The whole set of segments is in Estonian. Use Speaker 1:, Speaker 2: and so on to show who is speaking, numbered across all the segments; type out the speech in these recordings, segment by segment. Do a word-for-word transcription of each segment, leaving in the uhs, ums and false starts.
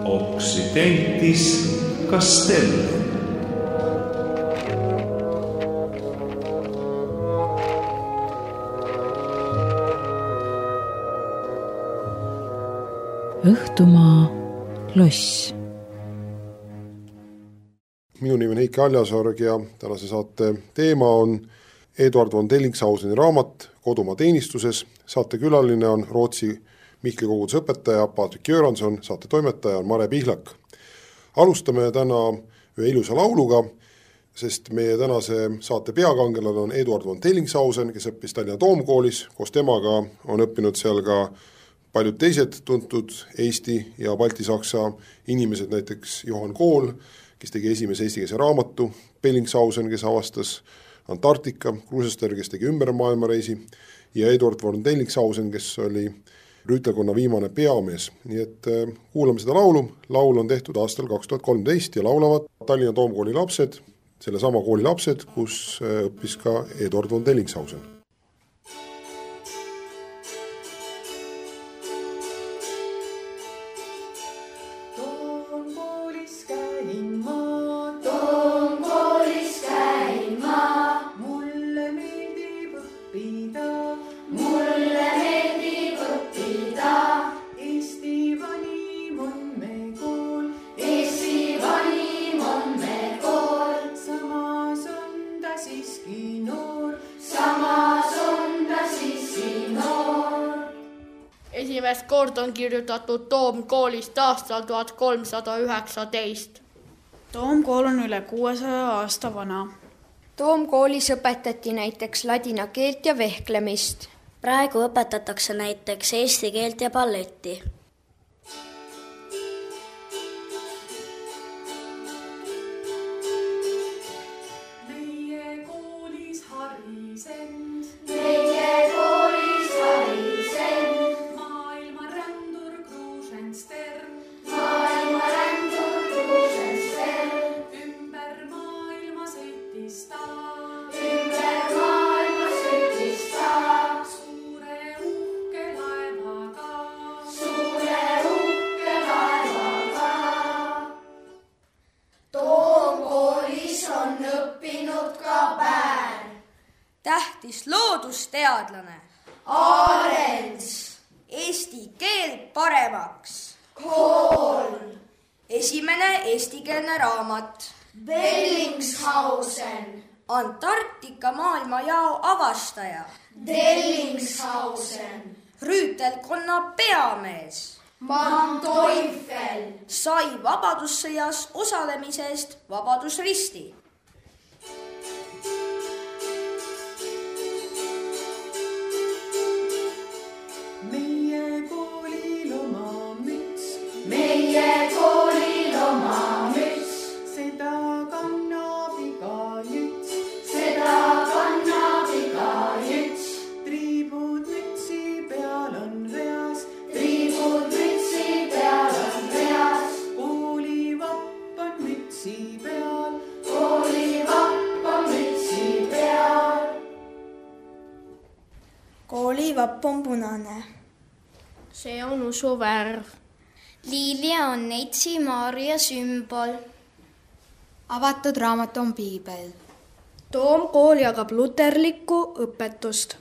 Speaker 1: Occidentis Castellum.
Speaker 2: Õhtumaa loss.
Speaker 3: Minu nimi on Heiki Aljasorg ja tänase saate teema on Eduard von Dellingshauseni raamat Kodumaa teenistuses. Saate külaline on Rootsi Mihkli koguduse õpetaja Patrik Göransson, saate toimetaja on Mare Pihlak. Alustame täna ühe ilusa lauluga, sest meie tänase saate peakangelane on Eduard von Dellingshausen, kes õppis Tallinna Toomkoolis. Koos temaga on õppinud seal ka paljud teised tuntud Eesti ja Balti-Saksa inimesed, näiteks Johan Kool, kes tegi esimese eestikeelse raamatu, Bellingshausen, kes avastas Antarktika, Kruusester, kes tegi ümber maailmareisi ja Eduard von Dellingshausen, kes oli rüütelkonna viimane peamees. Nii et kuulame seda laulu. Laul on tehtud aastal kaks tuhat kolmteist ja laulavad Tallinna Toomkooli lapsed, selle sama kooli lapsed, kus õppis ka Eduard von Dellingshausen.
Speaker 4: Esimest kord on kirjutatud Toomkoolist aastal tuhat kolmsada üheksateist.
Speaker 5: Toomkool on üle kuuesaja aasta vana.
Speaker 6: Toomkoolis õpetati näiteks ladina keelt ja vehklemist.
Speaker 7: Praegu õpetatakse näiteks eesti keelt ja balletti.
Speaker 8: Meie koolis harisend.
Speaker 9: Meie koolis harisend.
Speaker 8: Maailma rändur Kruusenster.
Speaker 9: Maailma rändur Kruusenster.
Speaker 8: Ümber maailma sõitis ta.
Speaker 9: Ümber maailma sõitis ta.
Speaker 8: Suure uhke laevaga.
Speaker 9: Suure uhke laevaga. Toomkoolis on õppinud ka Päär.
Speaker 10: Tähtis loodusteadlane.
Speaker 9: Aarens.
Speaker 10: Eesti keel paremaks.
Speaker 9: Kool.
Speaker 10: Esimene eestikeelne raamat.
Speaker 9: Bellingshausen.
Speaker 10: Antarktika maailmajao avastaja.
Speaker 9: Dellingshausen.
Speaker 10: Rüütelkonna peamees.
Speaker 9: Manteuffel.
Speaker 10: Sai vabadussõjas osalemisest Vabadusristi.
Speaker 8: Meie koolil oma müts.
Speaker 9: Meie koolil oma müts.
Speaker 8: Seda kannab iga jüts.
Speaker 9: Seda kannab iga jüts.
Speaker 8: Triibud mütsi peal on reas.
Speaker 9: Triibud mütsi peal on reas.
Speaker 8: Kooli vapp on mütsi peal.
Speaker 9: Kooli vapp on mütsi peal.
Speaker 5: Kooli vapp on punane.
Speaker 4: See on usuvärv.
Speaker 6: Liilia on Neitsi Maaria sümbol.
Speaker 5: Avatud raamat on piibel.
Speaker 4: Toomkool jagab luterlikku õpetust.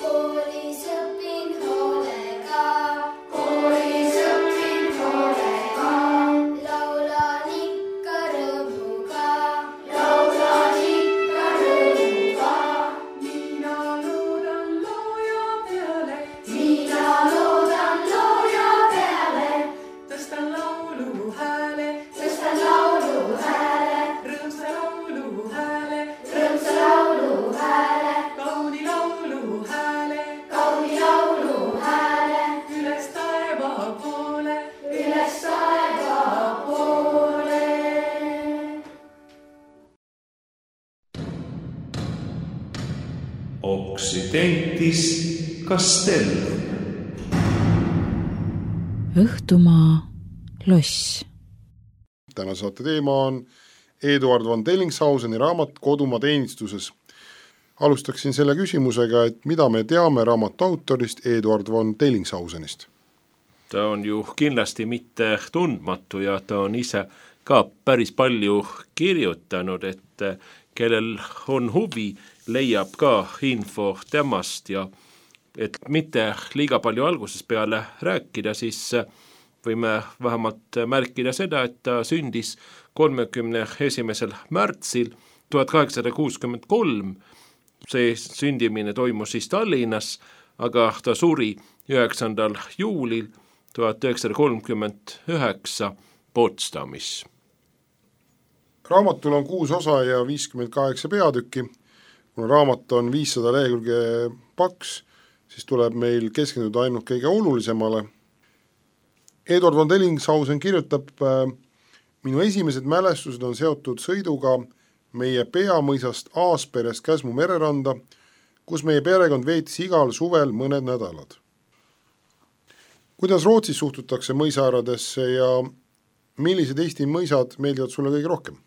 Speaker 9: Koolis õpin hoolega. Koolis õpin hoolega. Laulan ikka rõõmuga. Laulan ikka rõõmuga.
Speaker 8: Mina loodan looja peale.
Speaker 9: Mina loodan looja peale.
Speaker 8: Tõstan laulu hääle.
Speaker 1: Occidentis Castellum.
Speaker 2: Õhtumaa loss.
Speaker 3: Täna saate teema on Eduard von Dellingshauseni raamat Kodumaa teenistuses. Alustaksin selle küsimusega, et mida me teame raamatu autorist Eduard von Dellingshausenist?
Speaker 11: Ta on ju kindlasti mitte tundmatu ja ta on ise ka päris palju kirjutanud, et kellel on huvi, leiab ka info temast ja et mitte liiga palju alguses peale rääkida, siis võime vähemalt märkida seda, et ta sündis kolmekümne esimesel märtsil tuhat kaheksasada kuuskümmend kolm. See sündimine toimus siis Tallinnas, aga ta suri üheksandal juulil tuhat üheksasada kolmkümmend üheksa Potsdamis.
Speaker 3: Raamatul on kuus osa ja viiskümmend kaheksa peatükki. Kuna raamat on viissada lehekülge paks, siis tuleb meil keskenduda ainult kõige olulisemale. Eduard von Dellingshausen kirjutab, minu esimesed mälestused on seotud sõiduga meie peamõisast Aasperest Käsmu mereranda, kus meie perekond veetis igal suvel mõned nädalad. Kuidas Rootsis suhtutakse mõisaaradesse ja millised Eesti mõisad meeldivad sulle kõige rohkem?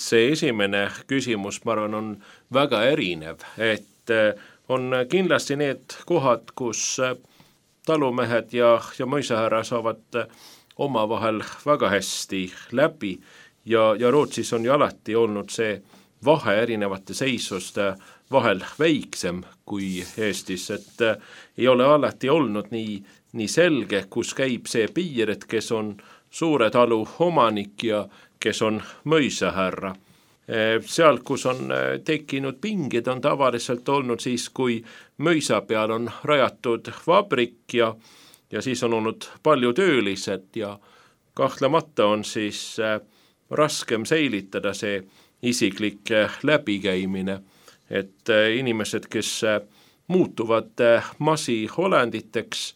Speaker 11: See esimene küsimus, ma arvan, on väga erinev, et on kindlasti need kohad, kus talumehed ja, ja mõisahärra saavad oma vahel väga hästi läbi ja, ja Rootsis on ju alati olnud see vahe erinevate seisuste vahel väiksem kui Eestis, et ei ole alati olnud nii, nii selge, kus käib see piir, et kes on suure talu omanik ja kes on mõisahärra. Seal, kus on tekkinud pinged, on tavaliselt olnud siis, kui mõisa peal on rajatud vabrik ja, ja siis on olnud palju töölised ja kahtlemata on siis raskem säilitada see isiklik läbikäimine, et inimesed, kes muutuvad massiolenditeks,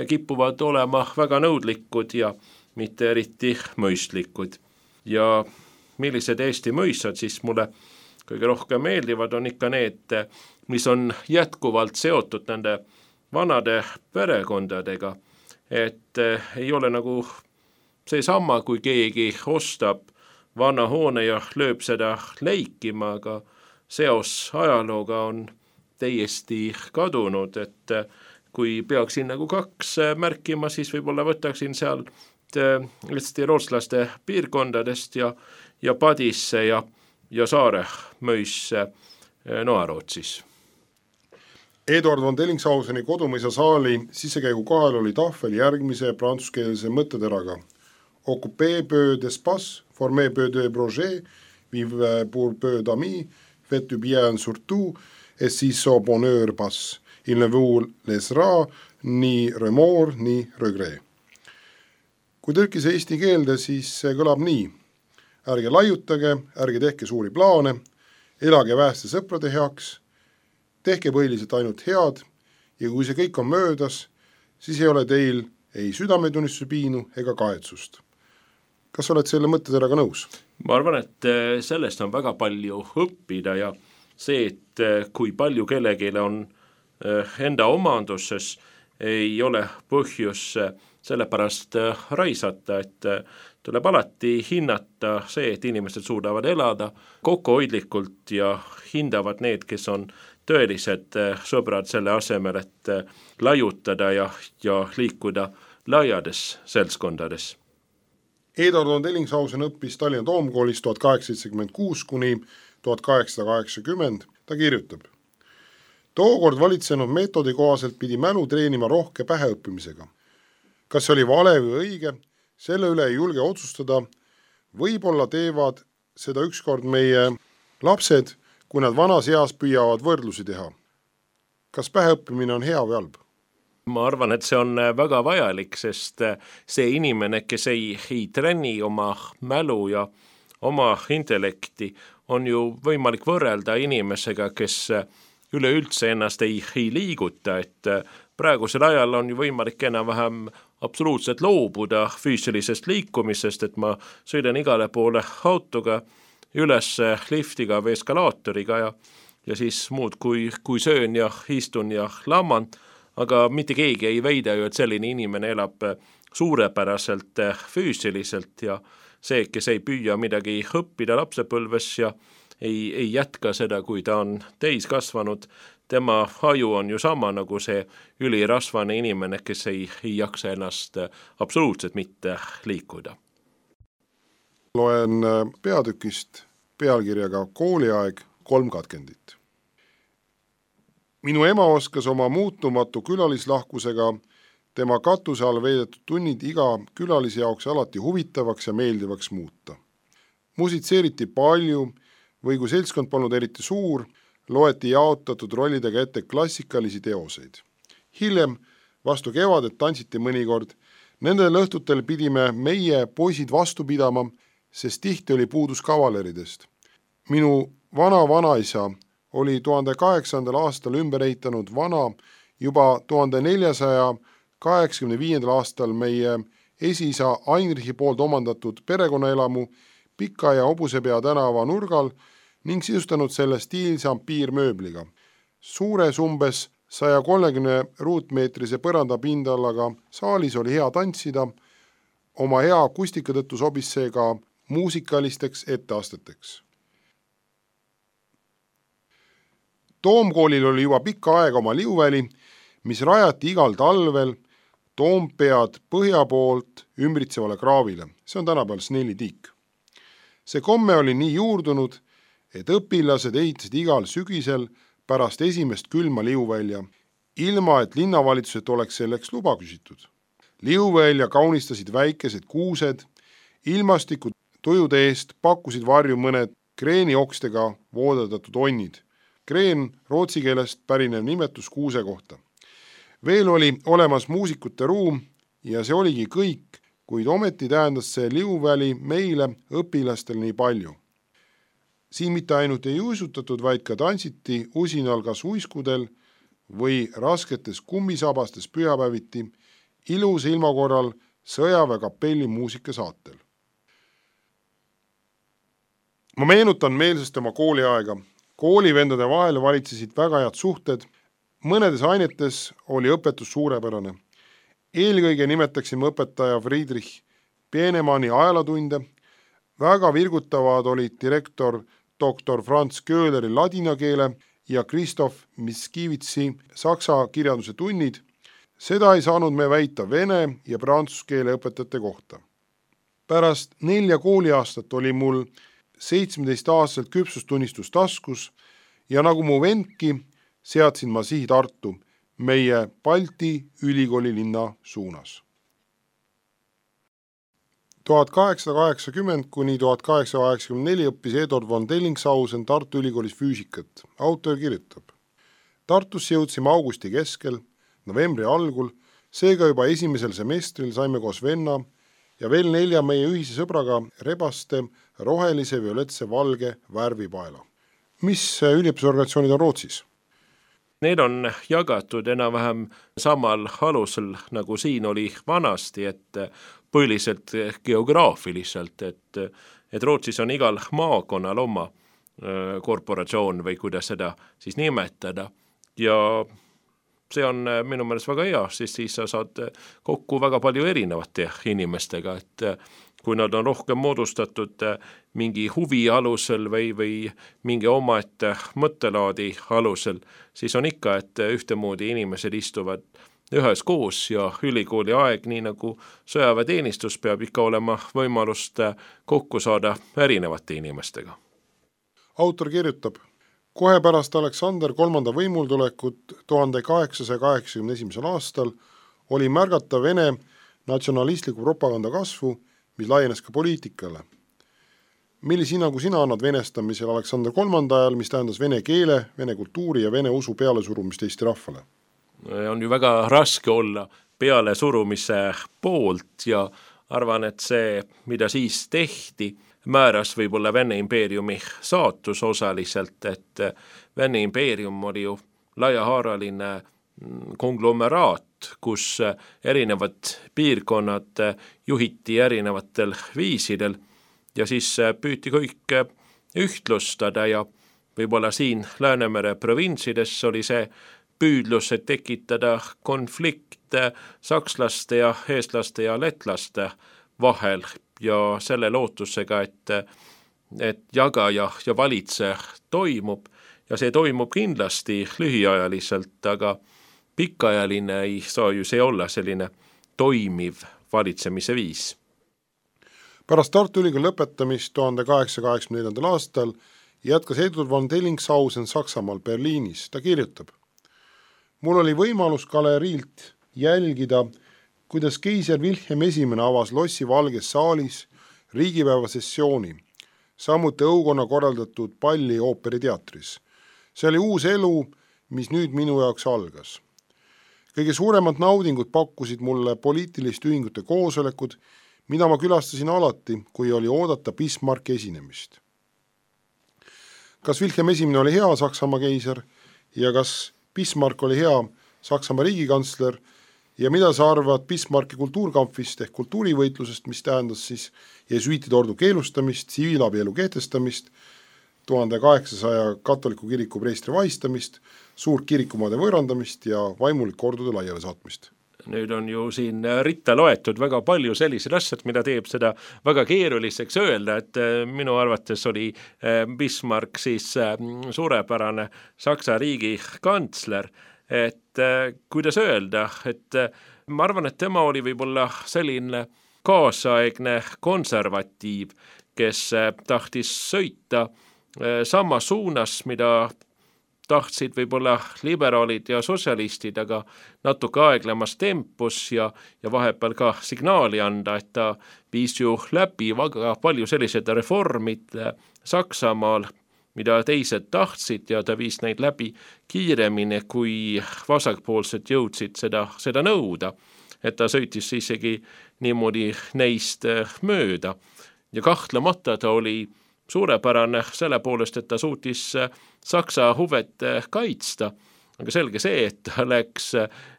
Speaker 11: kipuvad olema väga nõudlikud ja mitte eriti mõistlikud. Ja millised Eesti mõissad siis mulle kõige rohkem meeldivad, on ikka need, mis on jätkuvalt seotud nende vanade perekondadega, et ei ole nagu see sama, kui keegi ostab vana hoone ja lööb seda leikima, aga seos ajalooga on täiesti kadunud, et kui peaksin nagu kaks märkima, siis võib-olla võtaksin seal Eesti rootslaste piirkondadest ja, ja Padisse ja, ja Saare mõisse Noa-Rootsis.
Speaker 3: Eduard von Dellingshauseni kodumõisa saali sisekäigu kohal oli tahvel järgmise prantsuskeelse mõtteteraga. Occupé peu d'espace, formé peu de projet, vive pour peu d'amis, fait du bien surtout, et siis au bonheur passe. Il ne vous laissera ni remords ni regret. Kui tõlkis eesti keelde, siis see kõlab nii. Ärge laiutage, ärge tehke suuri plaane, elage väeste sõprade heaks, tehke põhiliselt ainult head ja kui see kõik on möödas, siis ei ole teil ei südametunnistuse piinu ega kaetsust. Kas oled selle mõtteteraga nõus?
Speaker 11: Ma arvan, et sellest on väga palju õppida ja see, et kui palju kellegile on enda omanduses, ei ole põhjus sellepärast raisata, et tuleb alati hinnata see, et inimesed suudavad elada kokkuhoidlikult ja hindavad need, kes on tõelised sõbrad selle asemel, et laiutada ja, ja liikuda laiades seltskondades.
Speaker 3: Eduard von Dellingshausen õppis Tallinna Toomkoolis tuhat kaheksasada seitsekümmend kuus kuni tuhat kaheksasada kaheksakümmend. Ta kirjutab. Tookord valitsenud meetodi kohaselt pidi mälu treenima rohke päheõppimisega. Kas see oli vale või õige, selle üle ei julge otsustada. Võib-olla teevad seda ükskord meie lapsed, kui nad vanas eas püüavad võrdlusi teha. Kas päheõppimine on hea või halb?
Speaker 11: Ma arvan, et see on väga vajalik, sest see inimene, kes ei, ei trenni oma mälu ja oma intellekti, on ju võimalik võrrelda inimesega, kes üleüldse ennast ei, ei liiguta, et praegusel ajal on ju võimalik enam-vähem absoluutselt loobuda füüsilisest liikumisest, et ma sõidan igale poole autoga, üles liftiga või eskalaatoriga ja, ja siis muud kui, kui söön ja istun ja lamman, aga mitte keegi ei väida ju, et selline inimene elab suurepäraselt füüsiliselt ja see, kes ei püüa midagi õppida lapsepõlves ja ei, ei jätka seda, kui ta on täiskasvanud, tema aju on ju sama nagu see ülirasvane inimene, kes ei, ei jaksa ennast absoluutselt mitte liikuda.
Speaker 3: Loen peatükist pealkirjaga Kooliaeg kolm katkendit. Minu ema oskas oma muutumatu külalislahkusega tema katuse all veedetud tunnid iga külalise jaoks alati huvitavaks ja meeldivaks muuta. Musitseeriti palju või kui seltskond polnud eriti suur, loeti jaotatud rollidega ette klassikalisi teoseid. Hiljem, vastu kevadet tantsiti mõnikord, nendel õhtutel pidime meie poisid vastu pidama, sest tihti oli puudus kavaleridest. Minu vana vanaisa oli tuhande kaheksasandal aastal ümber ehitanud vana juba tuhande neljasaja kaheksakümne viiendal aastal meie esiisa Heinrichi poolt omandatud perekonnaelamu Pika ja Hobusepea tänava nurgal ning sisustanud selle stiilse ampiirmööbliga. Suures umbes saja kolmekümne ruutmeetrise põrandapindallaga saalis oli hea tantsida, oma hea akustika tõttu sobis see ka muusikalisteks etteasteteks. Toomkoolil oli juba pikka aega oma liuväli, mis rajati igal talvel Toompead põhja poolt ümbritsevale kraavile. See on tänapäeval Snellitiik. See komme oli nii juurdunud, et õpilased ehitasid igal sügisel pärast esimest külma liuvälja, ilma et linnavalitsuselt oleks selleks luba küsitud. Liuvälja kaunistasid väikesed kuused, ilmastiku tujude eest pakkusid varju mõned kreeniokstega voodatatud onnid. Kreen rootsi keelest pärinev nimetus kuuse kohta. Veel oli olemas muusikute ruum ja see oligi kõik, kuid ometi tähendas see liuväli meile õpilastel nii palju. Siin mitte ainult ei uisutatud, vaid ka tantsiti usinal kas uiskudel või rasketes kummisabastes pühapäeviti ilus ilmakorral sõjaväekapelli muusikasaatel. Ma meenutan meelsest oma kooliaega. Koolivendade vahel valitsesid väga head suhted, mõnedes ainetes oli õpetus suurepärane. Eelkõige nimetaksime õpetaja Friedrich Peenemani ajalotunde, väga virgutavad olid direktor doktor Franz Köhleri ladina keele ja Christoph Miskivitsi saksa kirjanduse tunnid. Seda ei saanud me väita vene ja prantsuse keele õpetajate kohta. Pärast nelja kooliaastat oli mul seitsmeteist aastaselt küpsustunnistus taskus ja nagu mu vendki, seadsin ma sihi Tartu, meie Balti ülikooli linna suunas. tuhat kaheksasada kaheksakümmend kuni tuhat kaheksasada kaheksakümmend neli õppis Eduard von Dellingshausen Tartu ülikoolis füüsikat. Autor kirjutab. Tartusse jõudsime augusti keskel, novembri algul, seega juba esimesel semestril saime koos venna ja veel nelja meie ühise sõbraga rebaste rohelise, violetse, valge värvipaela. Mis üliõpisorganisatsioonid on Rootsis?
Speaker 11: Need on jagatud enam-vähem samal alusel, nagu siin oli vanasti, et põhiliselt geograafiliselt, et, et Rootsis on igal maakonnal oma korporatsioon või kuidas seda siis nimetada ja see on minu meelest väga hea, siis, siis sa saad kokku väga palju erinevate inimestega, et kui nad on rohkem moodustatud mingi huvi alusel või, või mingi omaette mõttelaadi alusel, siis on ikka, et ühtemoodi inimesed istuvad ühes koos ja ülikooli aeg, nii nagu sõjaväeteenistus peab ikka olema võimalust kokku saada erinevate inimestega.
Speaker 3: Autor kirjutab, kohe pärast Aleksander kolmanda võimultulekut tuhande kaheksasaja kaheksakümne esimesel aastal oli märgata Vene natsionalistliku propaganda kasvu, mis laienes ka poliitikale. Millise hinnangu sina annad venestamisel Aleksander kolmanda ajal, mis tähendas vene keele, vene kultuuri ja vene usu pealesurumist Eesti rahvale?
Speaker 11: On ju väga raske olla pealesurumise poolt ja arvan, et see, mida siis tehti, määras võib-olla Vene impeeriumi saatus osaliselt, et Vene impeerium oli ju laiahaaraline konglomeraat, kus erinevad piirkonnad juhiti erinevatel viisidel ja siis püüti kõik ühtlustada ja võib-olla siin Läänemere provintsides oli see püüdlus, et tekitada konflikt sakslaste ja eestlaste ja letlaste vahel ja selle lootusega, et, et jaga ja, ja valitse toimub ja see toimub kindlasti lühiajaliselt, aga pikaajaline ei saa ju see olla selline toimiv valitsemise viis.
Speaker 3: Pärast Tartu Ülikooli lõpetamist tuhande kaheksasaja kaheksakümne neljandal aastal jätkas Eduard von Dellingshausen Saksamaal Berliinis. Ta kirjutab: mul oli võimalus galeriilt jälgida, kuidas keiser Wilhelm esimene avas Lossi Valges saalis riigipäeva sessiooni, samuti õukonna korraldatud palli ooperiteatris. See oli uus elu, mis nüüd minu jaoks algas. Kõige suuremad naudingud pakkusid mulle poliitiliste ühingute koosolekud, mida ma külastasin alati, kui oli oodata Bismarcki esinemist. Kas Wilhelm esimene oli hea Saksamaa keiser ja kas Bismarck oli hea Saksamaa riigikantsler ja mida sa arvad Bismarcki kultuurkampfist ehk kultuurivõitlusest, mis tähendas siis jesuitide ordu keelustamist, tsiviilabielu kehtestamist, tuhande kaheksasaja katoliku kiriku preestri vahistamist, suurt kirikumaade võõrandamist ja vaimulik ordude laiale saatmist?
Speaker 11: Nüüd on ju siin ritta loetud väga palju sellised asjad, mida teeb seda väga keeruliseks öelda, et minu arvates oli Bismarck siis suurepärane Saksa riigi kantsler, et kuidas öelda, et ma arvan, et tema oli võib-olla selline kaasaegne konservatiiv, kes tahtis sõita sama suunas, mida tahtsid võib-olla liberaalid ja sotsialistid, aga natuke aeglemas tempus ja, ja vahepeal ka signaali anda, et ta viis ju läbi väga palju sellised reformid Saksamaal, mida teised tahtsid ja ta viis neid läbi kiiremini, kui vasakpoolsed jõudsid seda, seda nõuda. Et ta sõitis isegi niimoodi neist mööda ja kahtlemata ta oli suurepärane selle poolest, et ta suutis Saksa huvet kaitsta, aga selge see, et ta läks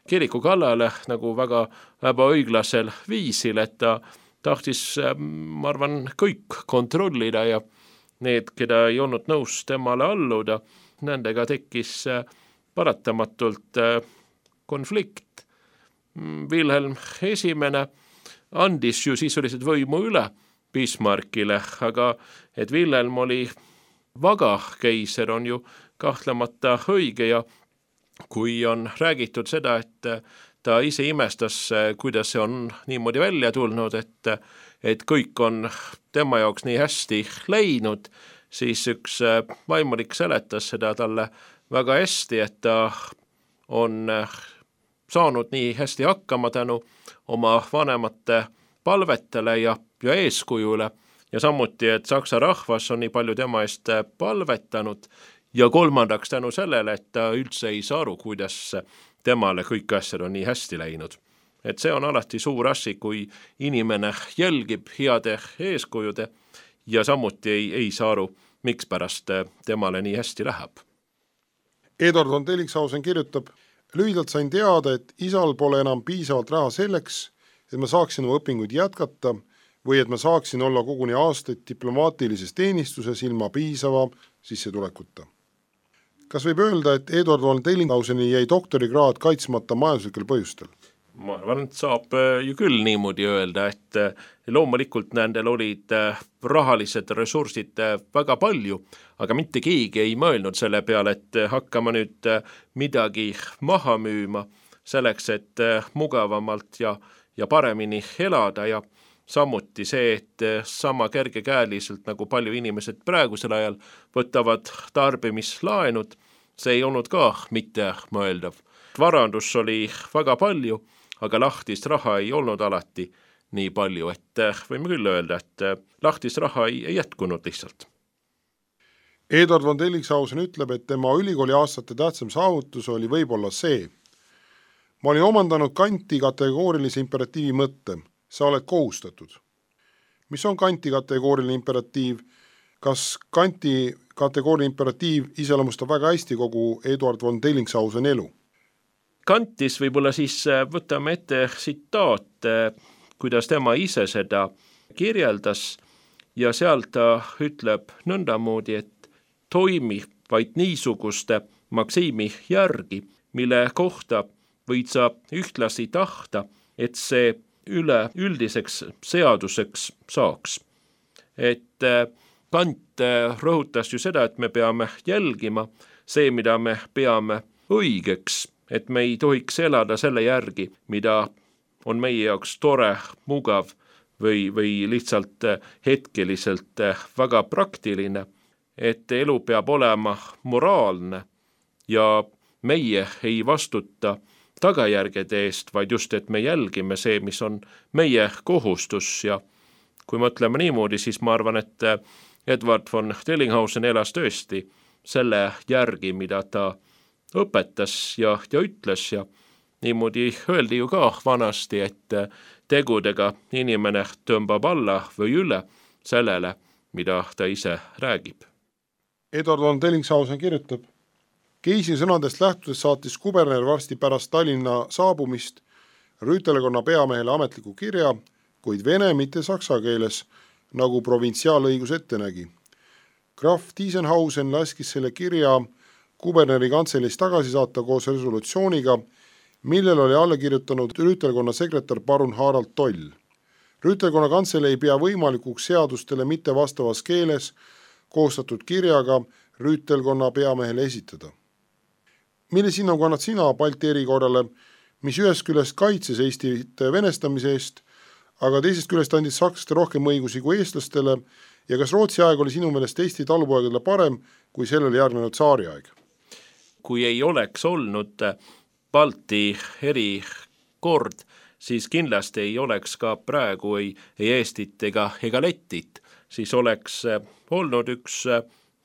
Speaker 11: kiriku kallale nagu väga ebaõiglasel viisil, et ta tahtis, ma arvan, kõik kontrollida ja need, keda ei olnud nõus temale alluda, nendega tekkis paratamatult konflikt. Wilhelm esimene andis ju sisuliselt võimu üle Bismarckile, aga et Wilhelm oli vaga keiser on ju kahtlemata õige ja kui on räägitud seda, et ta ise imestas, kuidas see on niimoodi välja tulnud, et, et kõik on tema jaoks nii hästi läinud, siis üks vaimulik seletas seda talle väga hästi, et ta on saanud nii hästi hakkama tänu oma vanemate palvetele ja, ja eeskujule ja samuti, et Saksa rahvas on nii palju tema eest palvetanud ja kolmandaks tänu sellele, et ta üldse ei saa aru, kuidas temale kõik asjad on nii hästi läinud. Et see on alati suur asi, kui inimene jälgib heade eeskujude ja samuti ei, ei saa aru, miks pärast temale nii hästi läheb.
Speaker 3: Eduard von Dellingshausen kirjutab: lühidalt sain teada, et isal pole enam piisavalt raha selleks, et ma saaksin oma õpinguid jätkata või et ma saaksin olla koguni aastaid diplomaatilises teenistuses ilma piisava sissetulekuta. Kas võib öelda, et Eduard von Dellinghauseni jäi doktorikraad kaitsmata majanduslikel põhjustel?
Speaker 11: Ma arvan, et saab ju küll niimoodi öelda, et loomulikult nendel olid rahalised ressursid väga palju, aga mitte keegi ei mõelnud selle peale, et hakkama nüüd midagi maha müüma selleks, et mugavamalt ja, ja paremini elada ja samuti see, et sama kergekäeliselt nagu palju inimesed praegusel ajal võtavad tarbimislaenud, see ei olnud ka mitte mõeldav. Varandus oli väga palju, aga lahtist raha ei olnud alati nii palju, et võime küll öelda, et lahtist raha ei, ei jätkunud lihtsalt.
Speaker 3: Eduard von Dellingshausen ütleb, et tema ülikooli aastate tähtsam saavutus oli võib-olla see. Ma olin omandanud Kanti kategoorilise imperatiivi mõtte. Sa oled kohustatud. Mis on Kanti kategooriline imperatiiv? Kas Kanti kategooriline imperatiiv iseloomustab väga hästi kogu Eduard von Dellingshausen elu?
Speaker 11: Kantis võib-olla siis võtame ette tsitaat, kuidas tema ise seda kirjeldas ja seal ta ütleb nõndamoodi, et toimi vaid niisuguste maksiimi järgi, mille kohta võid sa ühtlasi tahta, et see üle üldiseks seaduseks saaks. Et Kant rõhutas ju seda, et me peame jälgima see, mida me peame õigeks, et me ei tohiks elada selle järgi, mida on meie jaoks tore, mugav või, või lihtsalt hetkeliselt väga praktiline, et elu peab olema moraalne ja meie ei vastuta tagajärgede eest, vaid just, et me jälgime see, mis on meie kohustus. Ja kui mõtleme niimoodi, siis ma arvan, et Edward von Dellinghausen elas tõesti selle järgi, mida ta õpetas ja, ja ütles ja niimoodi öeldi ju ka vanasti, et tegudega inimene tõmbab alla või üle sellele, mida ta ise räägib.
Speaker 3: Edward von Dellinghausen kirjutab: Keisi sõnadest lähtudes saatis kuberner varsti pärast Tallinna saabumist rüütelkonna peamehele ametliku kirja, kuid vene, mitte saksa keeles, nagu provintsiaalõigus ette nägi. Graf Tiesenhausen laskis selle kirja kuberneri kantseleis tagasi saata koos resolutsiooniga, millel oli alla kirjutanud rüütelkonna sekretär parun Harald Toll. Rüütelkonna kantsele ei pea võimalikuks seadustele mitte vastavas keeles koostatud kirjaga rüütelkonna peamehele esitada. Mille hinnangu annad sina Balti erikorrale, mis ühest küljest kaitses Eestit venestamise eest, aga teisest küljest andis sakslaste rohkem õigusi kui eestlastele ja kas Rootsi aeg oli sinu meelest Eesti talupoegadele parem kui sellele järgnenud tsaari aeg?
Speaker 11: Kui ei oleks olnud Balti erikord, siis kindlasti ei oleks ka praegu ei, ei Eestit ega, ega Lettit. Siis oleks olnud üks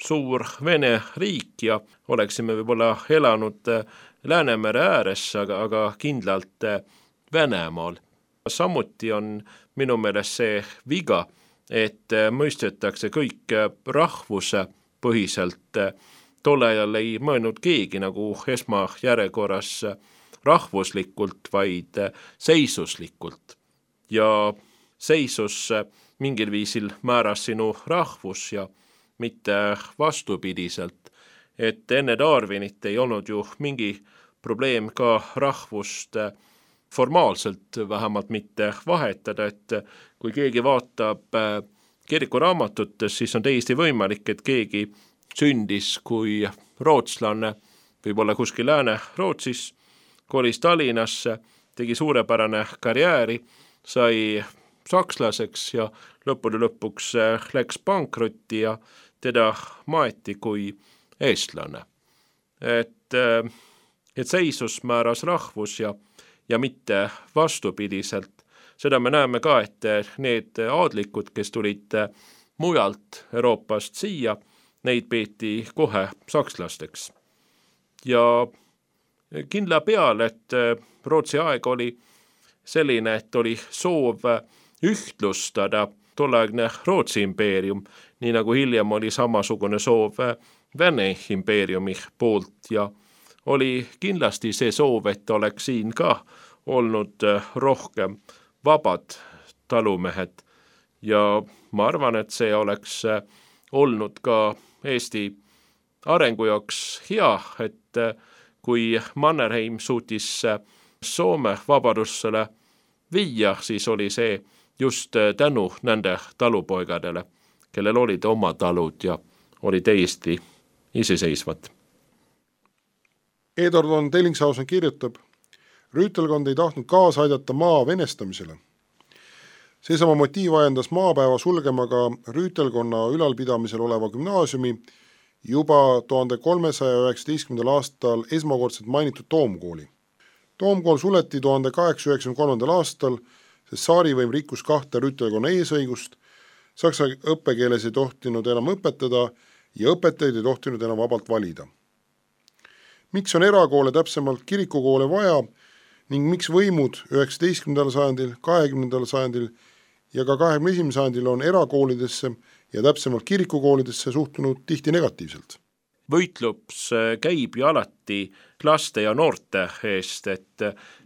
Speaker 11: suur Vene riik ja oleksime võib-olla elanud Läänemere ääres, aga, aga kindlalt Venemaal. Samuti on minu meelest see viga, et mõistetakse kõik rahvuse põhiselt. Tolle ajal ei mõelnud keegi nagu esmajärjekorras rahvuslikult, vaid seisuslikult. Ja seisus mingil viisil määras sinu rahvus ja mitte vastupidiselt. Et enne Darwinit ei olnud ju mingi probleem ka rahvust formaalselt vähemalt mitte vahetada, et kui keegi vaatab kirikuraamatutes, siis on täiesti võimalik, et keegi sündis kui rootslane, võib-olla kuskil Lääne-Rootsis, kolis Tallinnasse, tegi suurepärane karjääri, sai sakslaseks ja lõppude lõpuks läks pankrotti ja teda maeti kui eestlane. Et, et seisus määras rahvus ja ja mitte vastupidiselt. Seda me näeme ka, et need aadlikud, kes tulid mujalt Euroopast siia, neid peeti kohe sakslasteks. Ja kindla peal, et Rootsi aeg oli selline, et oli soov ühtlustada tolleaegne Rootsi impeerium, nii nagu hiljem oli samasugune soov Vene impeeriumi poolt ja oli kindlasti see soov, et oleks siin ka olnud rohkem vabad talumehed ja ma arvan, et see oleks olnud ka Eesti arengu jaoks hea, et kui Mannerheim suutis Soome vabadusele viia, siis oli see just tänu nende talupoigadele, kellel olid oma talud ja oli täiesti iseseisvad.
Speaker 3: Edward von Dellinghausen kirjutab: rüütelkond ei tahtnud kaasa aidata maa venestamisele. Seesama motiiv ajendas maapäeva sulgema ka rüütelkonna ülalpidamisel oleva gümnaasiumi juba tuhande kolmesaja üheksateistkümnendal aastal esmakordselt mainitud Toomkooli. Toomkool suleti tuhande kaheksasaja üheksakümne kolmandal aastal, sest saarivõim rikkus kahte rüütelkonna eesõigust, saksa õppekeeles ei tohtinud enam õpetada ja õpetajaid ei tohtinud enam vabalt valida. Miks on erakoole, täpsemalt kirikukoole vaja ning miks võimud üheksateistkümnendal sajandil, kahekümnendal sajandil ja ka kahekümne esimesel sajandil on erakoolidesse ja täpsemalt kirikukoolidesse suhtunud tihti negatiivselt?
Speaker 11: Võitlups käib ju alati laste ja noorte eest, et,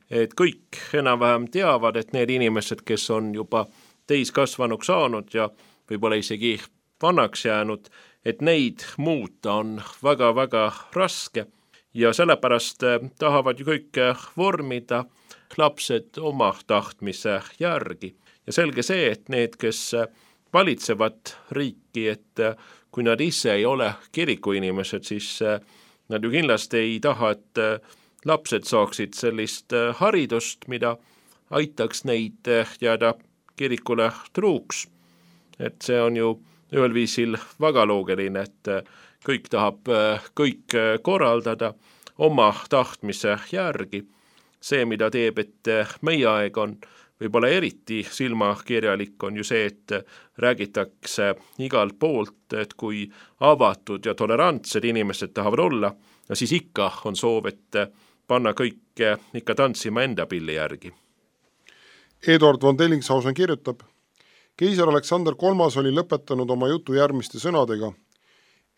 Speaker 11: et kõik enam-vähem teavad, et need inimesed, kes on juba täiskasvanuks saanud ja võib-olla isegi vanaks jäänud, et neid muuta on väga-väga raske ja sellepärast tahavad ju kõik vormida lapsed oma tahtmise järgi. Ja selge see, et need, kes valitsevad riiki, et kui nad ise ei ole kirikuinimesed, siis nad ju kindlasti ei taha, et lapsed saaksid sellist haridust, mida aitaks neid jääda kirikule truuks. Et see on ju ühel viisil väga loogiline, et kõik tahab kõik korraldada oma tahtmise järgi. See, mida teeb, et meie aeg on võib-olla eriti silmakirjalik, on ju see, et räägitakse igalt poolt, et kui avatud ja tolerantsed inimesed tahavad olla, ja siis ikka on soov, et panna kõik ikka tantsima enda pilli järgi.
Speaker 3: Eduard von Dellingshausen kirjutab, keiser Aleksander kolmas oli lõpetanud oma jutu järgmiste sõnadega.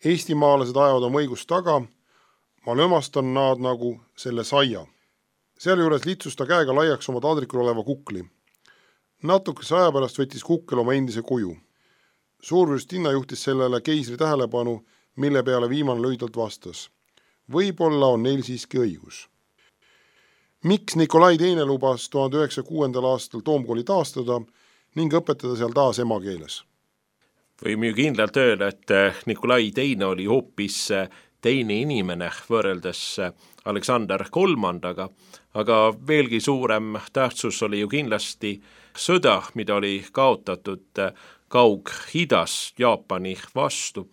Speaker 3: Eestimaalased ajavad oma õigust taga, ma lömastan nad nagu selle saia. Sealjuures litsus ta käega laiaks oma taldrikul oleva kukli. Natukese aja pärast võttis kukkel oma endise kuju. Suurvürstinna juhtis sellele keisri tähelepanu, mille peale viimane lühidalt vastas. Võib-olla on neil siiski õigus. Miks Nikolai teine lubas tuhande üheksasaja kuuendal aastal Toomkooli taastada ning õpetada seal taas emakeeles?
Speaker 11: Võime ju kindlalt öelda, et Nikolai teine oli hoopis teine inimene võrreldes Aleksander kolmandaga, aga veelgi suurem tähtsus oli ju kindlasti sõda, mida oli kaotatud Kaug-Idas Jaapani vastu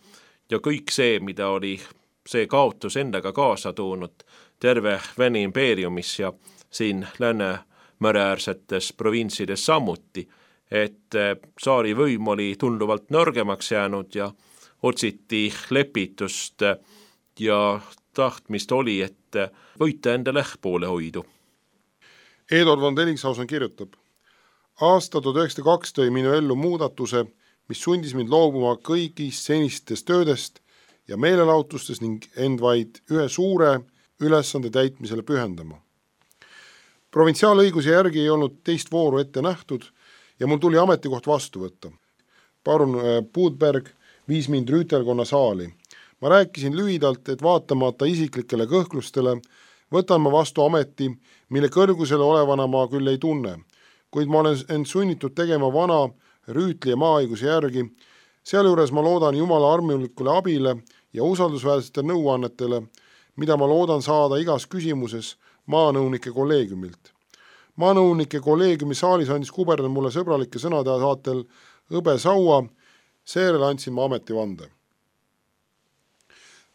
Speaker 11: ja kõik see, mida oli see kaotus endaga kaasa toonud terve Vene impeeriumis ja siin Läänemere-äärsetes provintsides samuti, et saari võim oli tunduvalt nõrgemaks jäänud ja otsiti lepitust ja tahtmist oli, et võita endale poole hoidu.
Speaker 3: Eduard von Dellingshausen kirjutab, aasta tuhat üheksasada kaks tõi minu ellu muudatuse, mis sundis mind loobuma kõigist senistest töödest ja meelelahutustest ning end vaid ühe suure ülesande täitmisele pühendama. Provintsiaalõiguse järgi ei olnud teist vooru ette nähtud ja mul tuli ametikoht vastu võtta. Parun Budberg viis mind rüütelkonna saali. Ma rääkisin lühidalt, et vaatamata isiklikele kõhklustele võtan ma vastu ameti, mille kõrgusele olevana ma küll ei tunne, kuid ma olen end sunnitud tegema vana rüütli ja maaõiguse järgi. Sealjuures ma loodan Jumala armulikule abile ja usaldusväärsete nõuannetele, mida ma loodan saada igas küsimuses maanõunike kolleegiumilt. Maanõunike kolleegiumi saalis andis kuberner mulle sõbralike sõnade saatel õbe saua, seejärel andsin ma ametivande.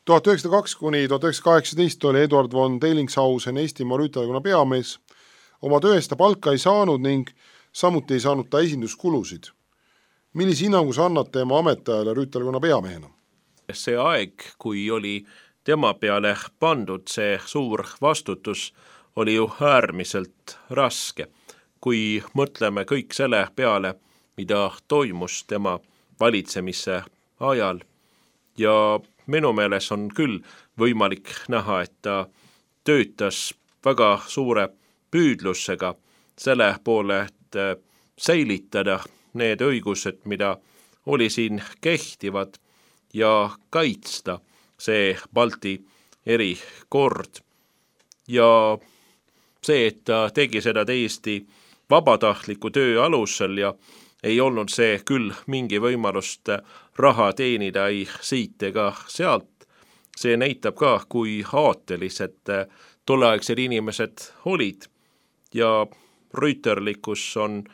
Speaker 3: tuhat üheksasada kaks kuni tuhat üheksasada kaheksateist oli Eduard von Dellingshausen Eestimaa rüütelkonna peamees. Oma tööst ta palka ei saanud ning samuti ei saanud ta esinduskulusid. Millise hinnangu sa annad tema ametiajale rüütelkonna peamehena?
Speaker 11: See aeg, kui oli tema peale pandud see suur vastutus, oli ju äärmiselt raske. Kui mõtleme kõik selle peale, mida toimus tema valitsemise ajal ja minu meeles on küll võimalik näha, et ta töötas väga suure püüdlusega selle poole, et säilitada need õigused, mida oli siin kehtivad ja kaitsta see Balti erikord. Ja see, et ta tegi seda täiesti vabatahtliku töö alusel ja ei olnud see küll mingi võimalust raha teenida ei siit ega sealt. See näitab ka, kui aatelised tolleaegsed inimesed olid. Ja rüüterlikkus on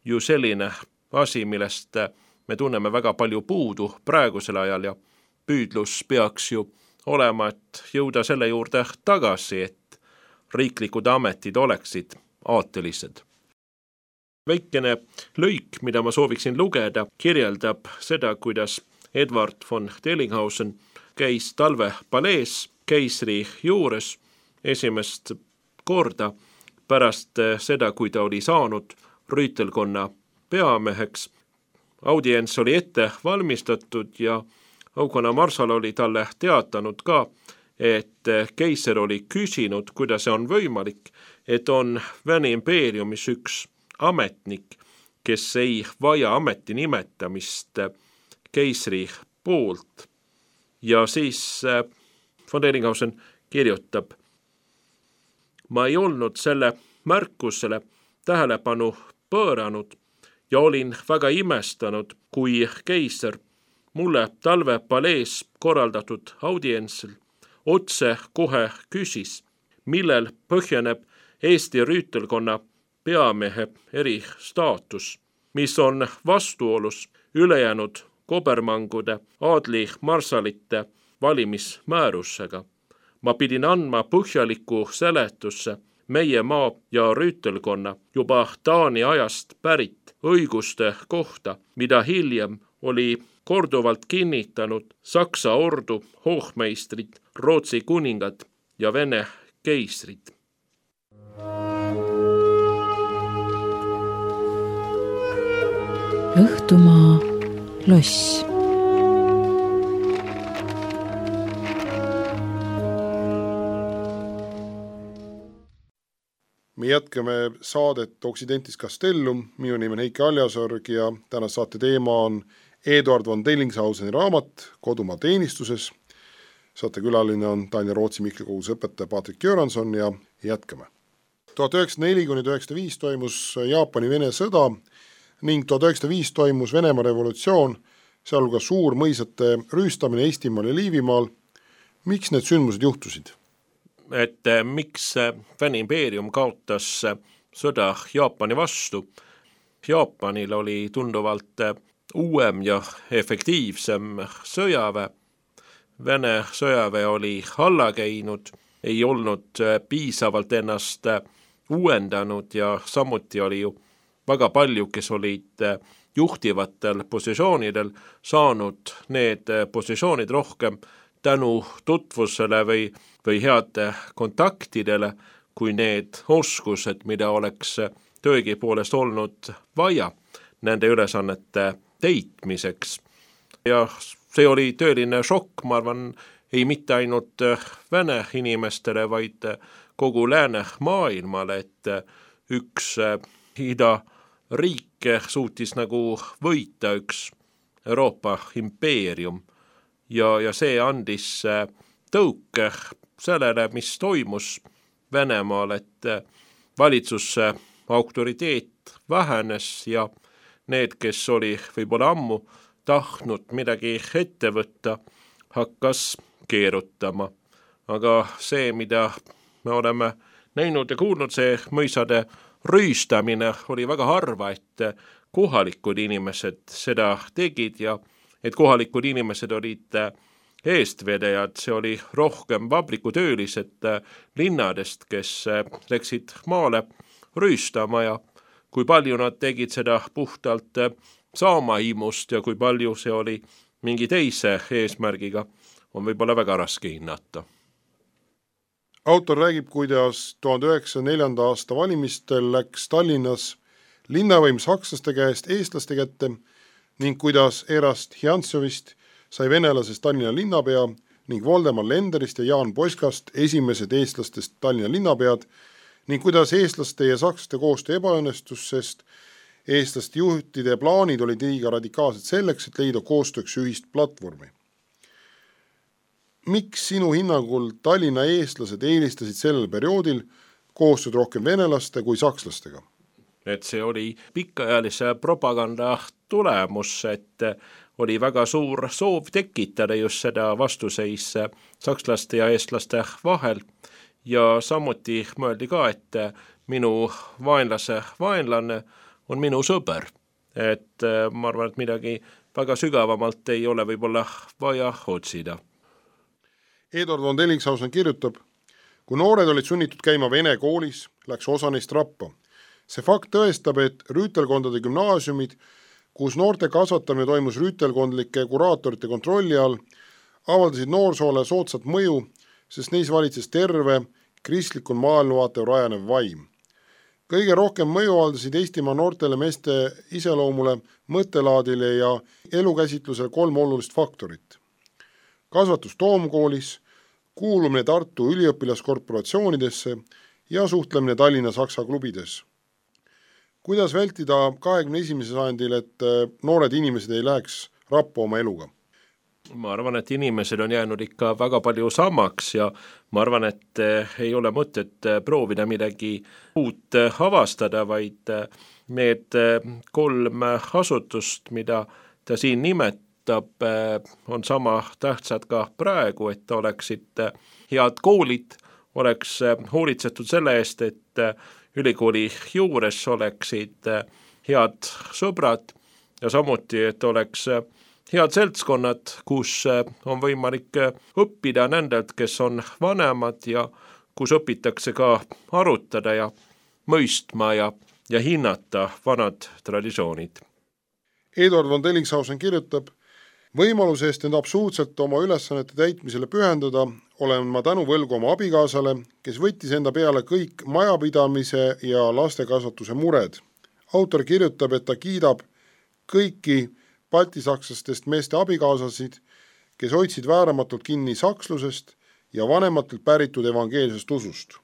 Speaker 11: ju selline asi, millest me tunneme väga palju puudu praegusel ajal ja püüdlus peaks ju olema, et jõuda selle juurde tagasi, et riiklikud ametid oleksid aatelised. Väikene lõik, mida ma sooviksin lugeda, kirjeldab seda, kuidas Eduard von Dellinghausen käis talvepalees keisri juures esimest korda pärast seda, kui ta oli saanud rüütelkonna peameheks. Audients oli ette valmistatud ja aukonna marsal oli talle teatanud ka, et keiser oli küsinud, kuidas see on võimalik, et on Vene impeeriumis üks ametnik, kes ei vaja ameti nimetamist, keisri poolt. Ja siis von Dellinghausen kirjutab: ma ei olnud selle märkusele tähelepanu pööranud ja olin väga imestanud, kui keiser mulle talvepalees korraldatud audientsil otse kohe küsis, millel põhjeneb Eesti rüütelkonna peamehe eristaatus, mis on vastuolus ülejäänud kobermangude aadli marsalite valimismäärusega. Ma pidin andma põhjaliku seletusse meie maa ja rüütelkonna juba Taani ajast pärit õiguste kohta, mida hiljem oli korduvalt kinnitanud Saksa ordu hohmeistrid, Rootsi kuningad ja Vene keisrid.
Speaker 2: Õhtumaa loss.
Speaker 3: Me jätkame saadet Occidentis Castellum, minu nimi on Heiki Aljasorg ja täna saate teema on Eduard von Dellingshauseni raamat Kodumaa teenistuses. Saate külaline on Tallinna Rootsi Mihkli koguduse õpetaja Patrik Göransson ja jätkame. tuhat üheksasada neli kuni tuhat üheksasada viis toimus Jaapani-Vene sõda ning tuhat üheksasada viis toimus Venemaa revolutsioon, sealhulgas suur mõisate rüüstamine Eestimaal ja Liivimaal. Miks need sündmused juhtusid?
Speaker 11: Et miks Vene impeerium kaotas sõda Jaapani vastu. Jaapanil oli tunduvalt uuem ja efektiivsem sõjaväe. Vene sõjaväe oli alla käinud, ei olnud piisavalt ennast uuendanud ja samuti oli ju väga palju, kes olid juhtivatel positsioonidel saanud need positsioonid rohkem tänu tutvusele või, või heade kontaktidele kui need oskused, mida oleks töögi poolest olnud vaja nende ülesannete teitmiseks. Ja see oli tõeline šokk, ma arvan, ei mitte ainult Vene inimestele, vaid kogu lääne maailmale, et üks ida riike suutis nagu võita üks Euroopa impeerium ja, ja see andis tõuke sellele, mis toimus Venemaal, et valitsuse autoriteet vähenes ja need, kes oli võib-olla ammu tahtnud midagi ette võtta, hakkas keerutama. Aga see, mida me oleme näinud ja kuulnud, see mõisade rüüstamine oli väga harva, et kohalikud inimesed seda tegid ja et kohalikud inimesed olid eestvedajad, see oli rohkem vabrikutöölised linnadest, kes läksid maale rüüstama ja kui palju nad tegid seda puhtalt saamaimust ja kui palju see oli mingi teise eesmärgiga, on võib-olla väga raske hinnata.
Speaker 3: Autor räägib, kuidas tuhande üheksasaja neljanda aasta valimistel läks Tallinnas linnavõim sakslaste käest eestlaste kätte ning kuidas Erast Hjantsovist sai venelasest Tallinna linnapea ning Voldemar Lenderist ja Jaan Poskast esimesed eestlastest Tallinna linnapead ning kuidas eestlaste ja sakslaste koostöö ebaõnnestus, sest eestlaste juhtide plaanid olid liiga radikaalsed selleks, et leida koostööks ühist platvormi. Miks sinu hinnangul Tallinna eestlased eelistasid sellel perioodil koostööd rohkem venelaste kui sakslastega?
Speaker 11: Et see oli pikaajalise propaganda tulemus, et oli väga suur soov tekitada just seda vastuseis sakslaste ja eestlaste vahel ja samuti mõeldi ka, et minu vaenlase vaenlane on minu sõber. Et ma arvan, et midagi väga sügavamalt ei ole võib-olla vaja otsida.
Speaker 3: Eduard von Dellingshausen kirjutab, kui noored olid sunnitud käima Vene koolis, läks osa neist rappa. See fakt tõestab, et rüütelkondade gümnaasiumid, kus noorte kasvatamine toimus rüütelkondlike kuraatorite kontrolli all, avaldasid noorsoole soodsat mõju, sest neis valitses terve, kristlikul maailmavaatel rajanev vaim. Kõige rohkem mõju avaldasid Eestimaa noortele meeste iseloomule, mõttelaadile ja elukäsitlusele kolm olulist faktorit. Kasvatus Toomkoolis, kuulumine Tartu üliõpilaskorporatsioonidesse ja suhtlemine Tallinna Saksa klubides. Kuidas vältida kahekümne esimesel sajandil, et noored inimesed ei läheks rappa oma eluga?
Speaker 11: Ma arvan, et inimesed on jäänud ikka väga palju samaks ja ma arvan, et ei ole mõtet proovida midagi uut avastada, vaid need kolm asutust, mida ta siin nimetab, on sama tähtsad ka praegu, et oleksid head koolid, oleks hoolitsetud selle eest, et ülikooli juures oleksid head sõbrad ja samuti, et oleks head seltskonnad, kus on võimalik õppida nendelt, kes on vanemad ja kus õpitakse ka arutada ja mõistma ja, ja hinnata vanad traditsioonid.
Speaker 3: Eduard von Dellingshausen kirjutab, võimaluse eest end absoluutselt oma ülesannete täitmisele pühendada olen ma tänu võlgu oma abikaasale, kes võttis enda peale kõik majapidamise ja lastekasvatuse mured. Autor kirjutab, et ta kiidab kõiki baltisakslastest meeste abikaasasid, kes hoidsid vääramatult kinni sakslusest ja vanematelt päritud evangeelsest usust.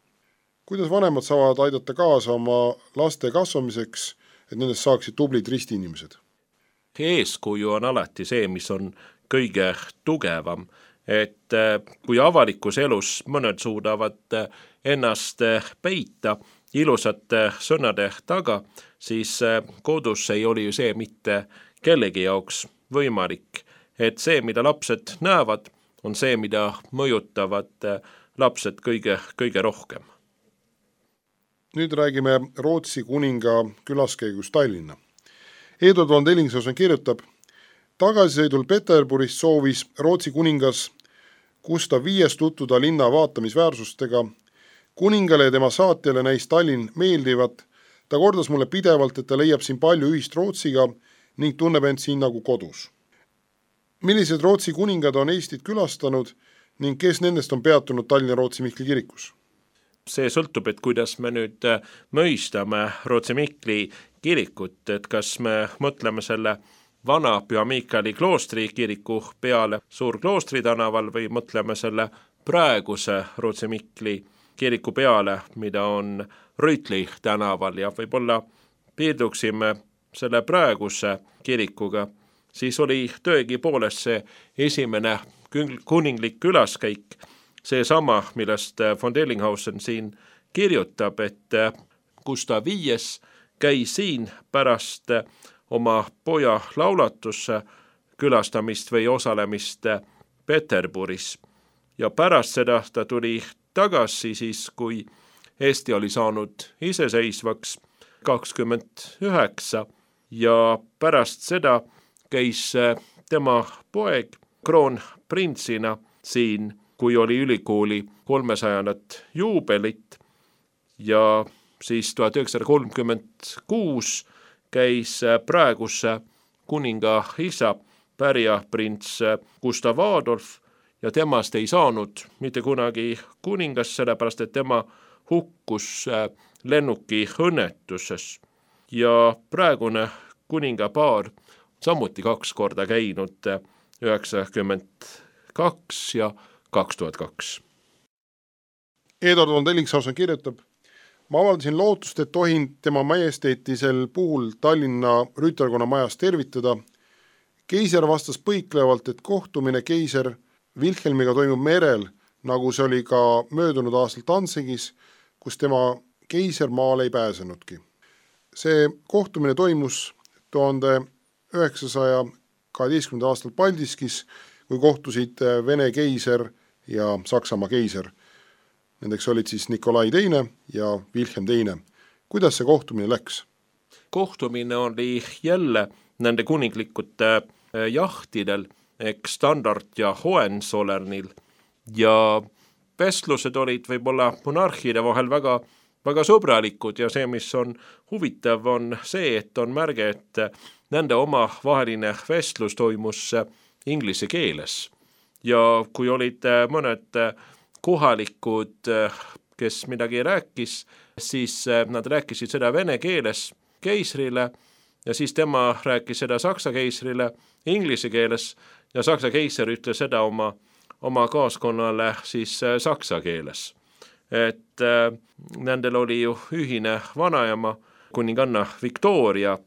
Speaker 3: Kuidas vanemad saavad aidata kaasa oma laste kasvamiseks, et nendest saaksid tublid ristiinimesed?
Speaker 11: Eeskuju on alati see, mis on kõige tugevam, et kui avalikus elus mõned suudavad ennast peita ilusate sõnade taga, siis kodus ei oli ju see mitte kellegi jaoks võimalik, et see, mida lapsed näevad, on see, mida mõjutavad lapsed kõige, kõige rohkem.
Speaker 3: Nüüd räägime Rootsi kuninga külaskäigust Tallinna. Eduard von Dellingshausen kirjutab, tagasisõidul Peterburist soovis Rootsi kuningas Gustav viies tutvuda linna vaatamisväärsustega. Kuningale ja tema saatjale näis Tallinn meeldivat. Ta kordas mulle pidevalt, et ta leiab siin palju ühist Rootsiga ning tunneb end siin nagu kodus. Millised Rootsi kuningad on Eestit külastanud ning kes nendest on peatunud Tallinna Rootsi Mihkli kirikus?
Speaker 11: See sõltub, et kuidas me nüüd mõistame Rootsi Mihkli kirikut, et kas me mõtleme selle vana Püha Miikali kloostri kiriku peale Suur-Kloostri tänaval või mõtleme selle praeguse Rootsi Mihkli kiriku peale, mida on Rüütli tänaval ja võib-olla piirduksime selle praeguse kirikuga, siis oli tõegi poolest see esimene kuninglik külaskäik, see sama, millest von Dellingshausen siin kirjutab, et Gustav viies käis siin pärast oma poja laulatusse külastamist või osalemist Peterburis. Ja pärast seda ta tuli tagasi siis, kui Eesti oli saanud iseseisvaks kakskümmend üheksa ja pärast seda käis tema poeg kroonprintsina siin, kui oli ülikooli kolmesajandat juubelit ja siis tuhat üheksasada kolmkümmend kuus käis praeguse kuninga isa pärjaprints Gustav Adolf ja temast ei saanud mitte kunagi kuningas, sellepärast et tema hukkus lennuki õnnetuses ja praegune kuningapaar samuti kaks korda käinud üheksakümmend kaks ja kaks tuhat kaks.
Speaker 3: Eduard von Dellingshausen kirjutab, ma avaldasin lootust, et tohin tema majesteetisel puhul Tallinna rüütelkonna majas tervitada. Keiser vastas põiklevalt, et kohtumine keiser Wilhelmiga toimub merel, nagu see oli ka möödunud aastal Danzigis, kus tema keiser maale ei pääsenudki. See kohtumine toimus tuhande üheksasaja kaheteistkümnendal aastal Paldiskis, kui kohtusid Vene keiser ja Saksamaa keiser. Nendeks olid siis Nikolai teine ja Wilhelm teine. Kuidas see kohtumine läks?
Speaker 11: Kohtumine oli jälle nende kuninglikute jahtidel, eks Standard ja Hohenzollernil ja vestlused olid võib-olla monarhide vahel väga, väga sõbralikud ja see, mis on huvitav, on see, et on märge, et nende oma vaheline vestlus toimus inglise keeles ja kui olid mõned kohalikud, kes midagi rääkis, siis nad rääkisid seda vene keeles keisrile ja siis tema rääkis seda saksa keisrile inglise keeles ja saksa keiser ütles seda oma, oma kaaskonnale siis saksa keeles. Et äh, nendel oli ju ühine vanaema kuninganna Victoria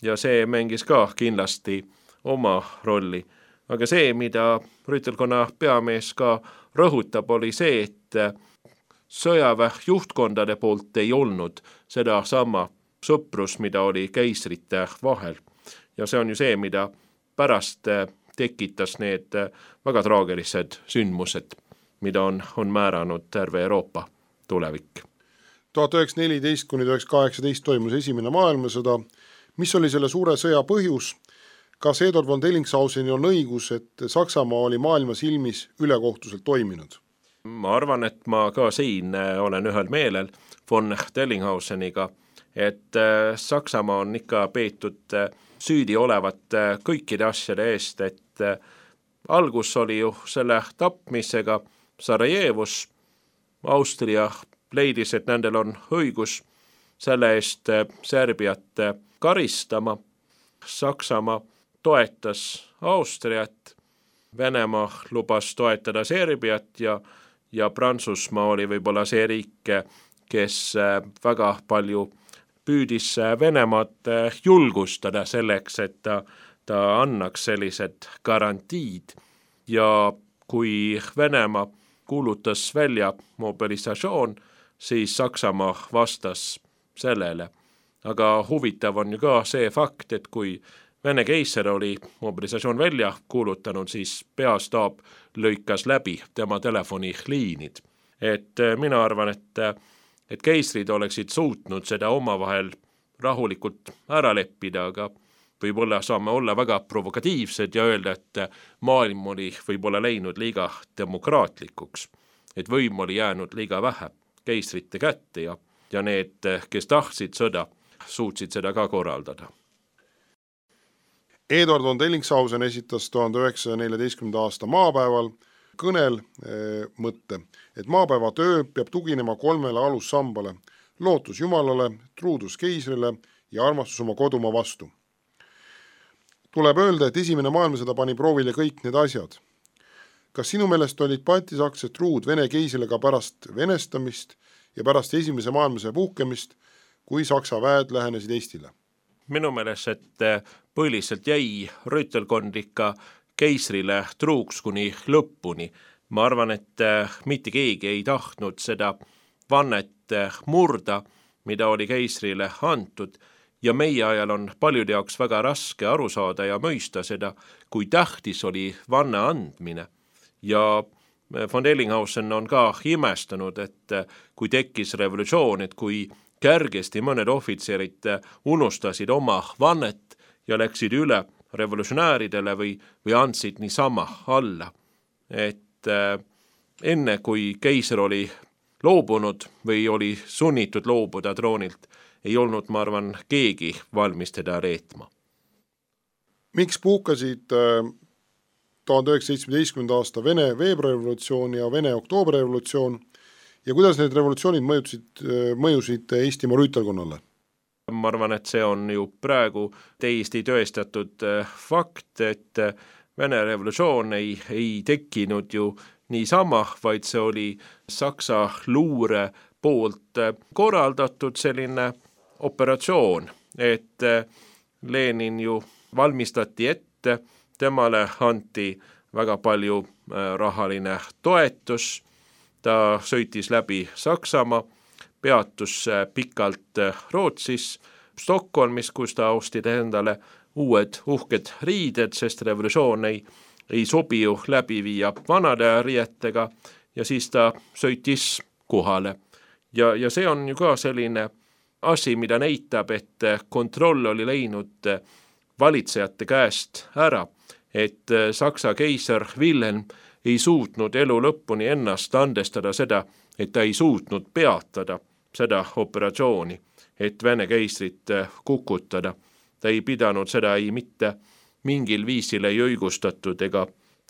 Speaker 11: ja see mängis ka kindlasti oma rolli. Aga see, mida rüütelkonna peamees ka rõhutab, oli see, et sõjaväe juhtkondade poolt ei olnud seda sama sõprus, mida oli keisrite vahel. Ja see on ju see, mida pärast tekitas need väga traagilised sündmused, mida on, on määranud terve Euroopa tulevik.
Speaker 3: tuhat üheksasada neliteist kuni tuhat üheksasada kaheksateist toimus esimene maailmasõda. Mis oli selle suure sõja põhjus? Kas Eduard von Dellingshausenil on õigus, et Saksamaa oli maailma silmis ülekohtuselt toiminud?
Speaker 11: Ma arvan, et ma ka siin olen ühel meelel von Dellinghausseniga, et Saksamaa on ikka peetud süüdi olevat kõikide asjade eest, et algus oli ju selle tapmisega Sarajevos. Austria leidis, et nendel on õigus selle eest Serbiat karistama. Saksamaa toetas Austriat, Venemaa lubas toetada Serbiat ja, ja Prantsusmaa oli võib-olla see riik, kes väga palju püüdis Venemaad julgustada selleks, et ta, ta annaks sellised garantiid. Ja kui Venemaa kuulutas välja mobilisatsioon, siis Saksamaa vastas sellele. Aga huvitav on ju ka see fakt, et kui Vene keiser oli mobilisatsioon välja kuulutanud, siis peastaap lõikas läbi tema telefoniliinid. Et mina arvan, et, et keisrid oleksid suutnud seda omavahel rahulikult ära leppida, aga võib-olla saame olla väga provokatiivsed ja öelda, et maailm oli võib-olla läinud liiga demokraatlikuks, et võim oli jäänud liiga vähe keisrite kätte ja, ja need, kes tahtsid sõda, suutsid seda ka korraldada.
Speaker 3: Eduard von Dellingshausen esitas tuhande üheksasaja neljateistkümnenda aasta maapäeval kõnel e, mõtte, et maapäeva töö peab tuginema kolmele alussambale: lootus Jumalale, truudus keisrile ja armastus oma kodumaa vastu. Tuleb öelda, et esimene maailmasõda pani proovile kõik need asjad. Kas sinu meelest olid baltisaksed truud Vene keisrile ka pärast venestamist ja pärast esimese maailmasõja puhkemist, kui Saksa väed lähenesid Eestile?
Speaker 11: Minu meelest, et põhiliselt jäi rüütelkond ikka keisrile truuks kuni lõpuni. Ma arvan, et mitte keegi ei tahtnud seda vannet murda, mida oli keisrile antud, ja meie ajal on paljude jaoks väga raske aru saada ja mõista seda, kui tähtis oli vanne andmine. Ja von Dellinghausen on ka imestanud, et kui tekkis revolutsioon, et kui kärgesti mõned ohvitserid unustasid oma vannet ja läksid üle revolutsionääridele või, või andsid niisama alla. Et äh, enne kui keiser oli loobunud või oli sunnitud loobuda troonilt, ei olnud, ma arvan, keegi valmis teda reetma.
Speaker 3: Miks puhkasid äh, tuhande üheksasaja seitsmeteistkümnenda aasta Vene veebruarirevolutsioon ja Vene oktoobrirevolutsioon ja kuidas need revolutsioonid mõjusid, mõjusid Eestimaa rüütelkonnale?
Speaker 11: Ma arvan, et see on ju praegu täiesti tõestatud fakt, et Vene revolutsioon ei, ei tekkinud ju niisama, vaid see oli Saksa luure poolt korraldatud selline operatsioon, et Lenin ju valmistati ette, temale anti väga palju rahaline toetus, ta sõitis läbi Saksamaa, peatus pikalt Rootsis, Stockholmis, kus ta ostid endale uued uhked riided, sest revolutsioon ei, ei sobi ju läbi viia vanade riietega ja siis ta sõitis kohale. Ja, ja see on ju ka selline asi, mida näitab, et kontroll oli läinud valitsejate käest ära, et Saksa keiser Wilhelm ei suutnud elu lõpuni ennast andestada seda, et ta ei suutnud peatada seda operatsiooni, et Vene keisrit kukutada. Ta ei pidanud seda ei mitte mingil viisil ei õigustatud ega,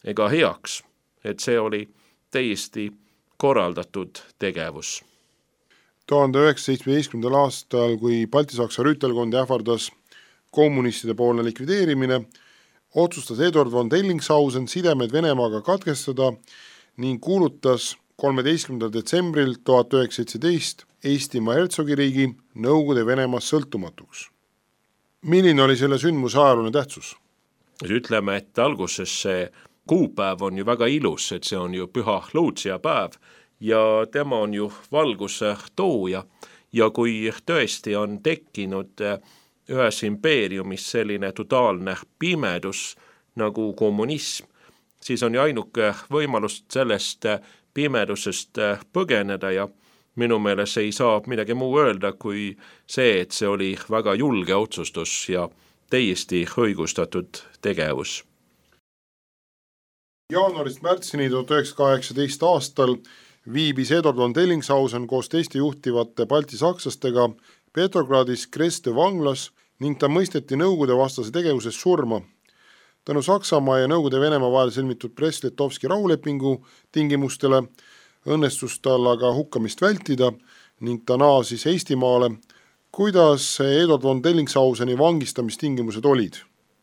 Speaker 11: ega heaks, et see oli täiesti korraldatud tegevus.
Speaker 3: tuhande üheksasaja seitsmeteistkümnendal aastal, kui Balti-Saksa rüütelkondi ähvardas kommunistide poolne likvideerimine, otsustas Eduard von Dellingshausen sidemed Venemaaga katkestada ning kuulutas kolmeteistkümnendal detsembril tuhat üheksasada seitseteist Eestimaa hertsogiriigi Nõukogude Venemaast sõltumatuks. Milline oli selle sündmuse ajalooline tähtsus?
Speaker 11: ütleme, et alguses see kuupäev on ju väga ilus, et see on ju püha Luutsia päev ja tema on ju valguse tooja ja kui tõesti on tekkinud ühes impeeriumis selline totaalne pimedus nagu kommunism, siis on ju ainuke võimalus sellest pimedusest põgeneda ja minu meelest ei saa midagi muu öelda kui see, et see oli väga julge otsustus ja täiesti õigustatud tegevus.
Speaker 3: Jaanuarist märtsini tuhat üheksasada kaheksateist aastal viibis Eduard von Dellingshausen koos teiste juhtivate balti sakslastega Petrogradis Kreste vanglas ning ta mõisteti Nõukogude vastase tegevuses surma. Tänu Saksamaa ja Nõukogude Venemaa vahel sõlmitud Brest-Litovski rahulepingu tingimustele õnnestus tal aga hukkamist vältida ning ta naasis Eestimaale. Kuidas Eduard von Dellingshauseni vangistamistingimused olid?